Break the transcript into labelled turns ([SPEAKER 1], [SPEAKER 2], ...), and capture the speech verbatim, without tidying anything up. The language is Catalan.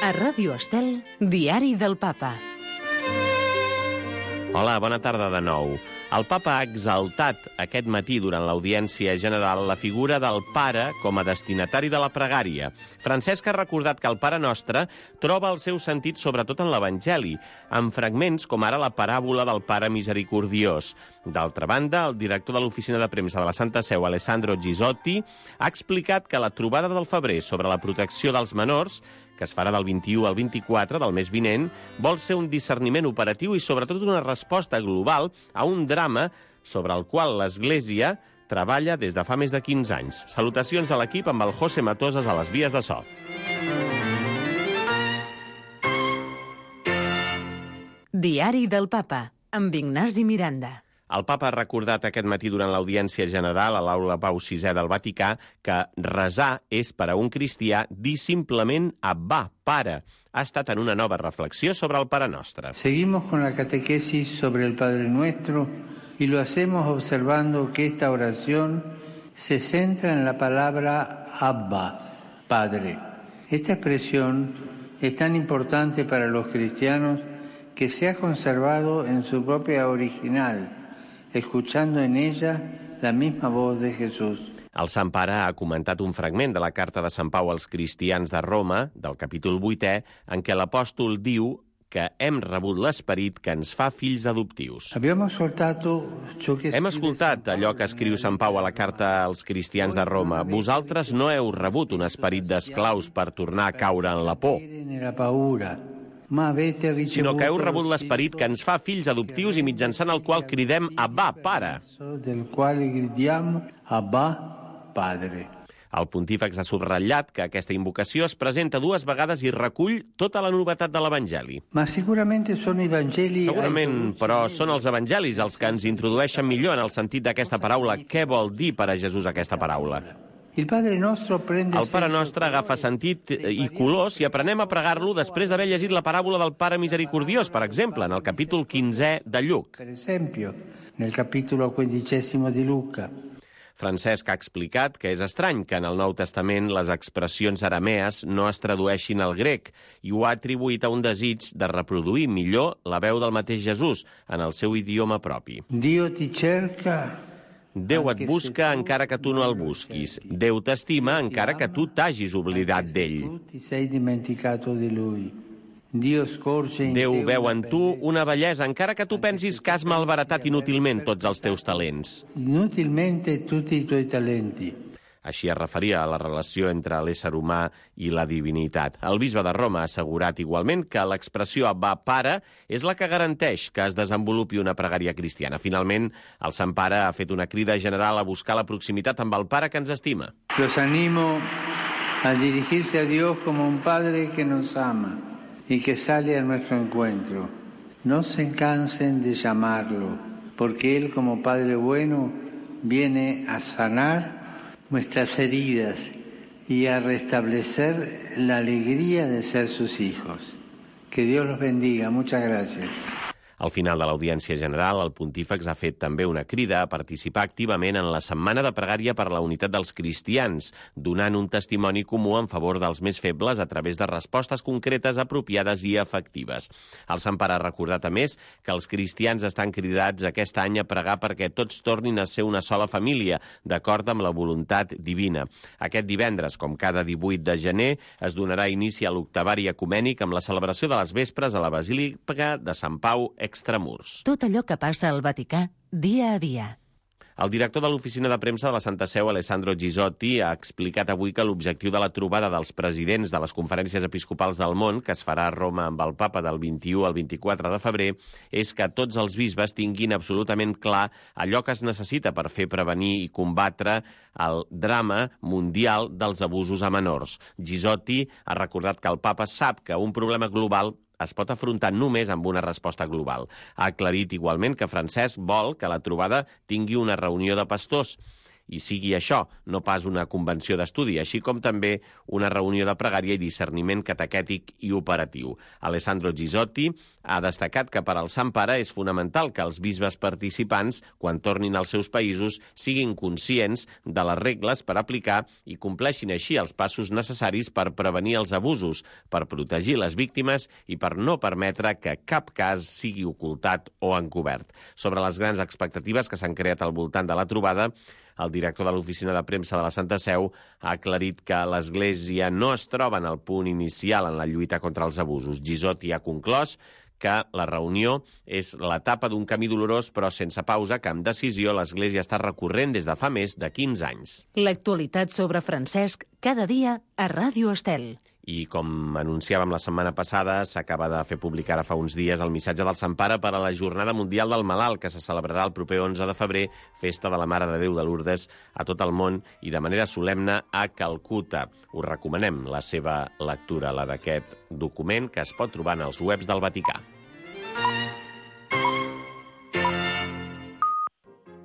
[SPEAKER 1] A Ràdio Estel, Diari del Papa.
[SPEAKER 2] Hola, bona tarda de nou. El papa ha exaltat aquest matí durant l'audiència general la figura del pare com a destinatari de la pregària. Francesc ha recordat que el Pare Nostre troba el seu sentit sobretot en l'Evangeli, amb fragments com ara la paràbola del Pare Misericordiós. D'altra banda, el director de l'Oficina de Premsa de la Santa Seu, Alessandro Gisotti, ha explicat que la trobada del febrer sobre la protecció dels menors, que es farà del vint-i-u al vint-i-quatre del mes vinent, vol ser un discerniment operatiu i sobretot una resposta global a un drama sobre el qual l'Església treballa des de fa més de quinze anys. Salutacions de l'equip amb el José Matosas a les vies de so.
[SPEAKER 1] Diari del Papa, amb Ignasi Miranda.
[SPEAKER 2] El papa ha recordat aquest matí durant l'audiència general a l'Aula Pau sisè del Vaticà que resar és per a un cristià dir simplement Abbà, Pare. Ha estat en una nova reflexió sobre el Pare Nostre.
[SPEAKER 3] Seguimos con la catequesis sobre el Padre Nuestro y lo hacemos observando que esta oración se centra en la palabra Abba, Padre. Esta expresión es tan importante para los cristianos que se ha conservado en su propia original, escuchando en ella la misma voz de Jesús.
[SPEAKER 2] El Sant Pare ha comentat un fragment de la carta de Sant Pau als cristians de Roma, del capítol vuitè, en què l'apòstol diu que hem rebut l'esperit que ens fa fills adoptius. Hem escoltat allò que escriu Sant Pau a la carta als cristians de Roma. Vosaltres no heu rebut un esperit d'esclaus per tornar a caure en la por, sinó que heu rebut l'esperit que ens fa fills adoptius i mitjançant el qual cridem Abbà, Pare. El pontífex ha subratllat que aquesta invocació es presenta dues vegades i recull tota la novetat de l'Evangeli. Segurament, però són els evangelis els que ens introdueixen millor en el sentit d'aquesta paraula. Què vol dir per a Jesús aquesta paraula? El Pare Nostre agafa sentit i color si aprenem a pregar-lo després d'haver llegit la paràbola del Pare Misericordiós, per exemple, en el capítol quinzè de Lluc. Francesc ha explicat que és estrany que en el Nou Testament les expressions aramees no es tradueixin al grec i ho ha atribuït a un desig de reproduir millor la veu del mateix Jesús en el seu idioma propi.
[SPEAKER 3] Dio ti cerca...
[SPEAKER 2] Déu et busca encara que tu no el busquis. Déu t'estima encara que tu t'hagis oblidat d'ell. Déu veu en tu una bellesa encara que tu pensis que has malbaratat inútilment tots els teus talents.
[SPEAKER 3] Inutilmente tutti i tuoi talenti.
[SPEAKER 2] Així es referia a la relació entre l'ésser humà i la divinitat. El bisbe de Roma ha assegurat igualment que l'expressió Abbà, Pare és la que garanteix que es desenvolupi una pregària cristiana. Finalment, el Sant Pare ha fet una crida general a buscar la proximitat amb el Pare que ens estima.
[SPEAKER 3] Los animo a dirigirse a Dios como un Padre que nos ama y que sale a nuestro encuentro. No se cansen de llamarlo, porque Él como Padre bueno viene a sanar nuestras heridas y a restablecer la alegría de ser sus hijos. Que Dios los bendiga. Muchas gracias.
[SPEAKER 2] Al final de l'audiència general, el pontífex ha fet també una crida a participar activament en la Setmana de Pregària per la Unitat dels Cristians, donant un testimoni comú en favor dels més febles a través de respostes concretes, apropiades i efectives. El Sant Pare ha recordat, a més, que els cristians estan cridats aquest any a pregar perquè tots tornin a ser una sola família, d'acord amb la voluntat divina. Aquest divendres, com cada divuit de gener, es donarà inici a l'octavari ecumènic amb la celebració de les vespres a la Basílica de Sant Pau Extramurs.
[SPEAKER 1] Tot allò que passa al Vaticà, dia a dia.
[SPEAKER 2] El director de l'Oficina de Premsa de la Santa Seu, Alessandro Gisotti, ha explicat avui que l'objectiu de la trobada dels presidents de les conferències episcopals del món, que es farà a Roma amb el papa del vint-i-u al vint-i-quatre de febrer, és que tots els bisbes tinguin absolutament clar allò que es necessita per fer prevenir i combatre el drama mundial dels abusos a menors. Gisotti ha recordat que el papa sap que un problema global es pot afrontar només amb una resposta global. Ha aclarit igualment que Francesc vol que la trobada tingui una reunió de pastors i sigui això, no pas una convenció d'estudi, així com també una reunió de pregària i discerniment catequètic i operatiu. Alessandro Gisotti ha destacat que per al Sant Pare és fonamental que els bisbes participants, quan tornin als seus països, siguin conscients de les regles per aplicar i compleixin així els passos necessaris per prevenir els abusos, per protegir les víctimes i per no permetre que cap cas sigui ocultat o encobert. Sobre les grans expectatives que s'han creat al voltant de la trobada, el director de l'Oficina de Premsa de la Santa Seu ha aclarit que l'Església no es troba en el punt inicial en la lluita contra els abusos. Gisotti ha conclòs que la reunió és l'etapa d'un camí dolorós però sense pausa que amb decisió l'Església està recorrent des de fa més de quinze anys.
[SPEAKER 1] L'actualitat sobre Francesc cada dia a Ràdio Estel.
[SPEAKER 2] I com anunciàvem la setmana passada, s'acaba de fer publicar ara fa uns dies el missatge del Sant Pare per a la Jornada Mundial del Malalt, que se celebrarà el proper onze de febrer, festa de la Mare de Déu de Lourdes a tot el món i de manera solemne a Calcuta. Us recomanem la seva lectura, la d'aquest document que es pot trobar en els webs del Vaticà.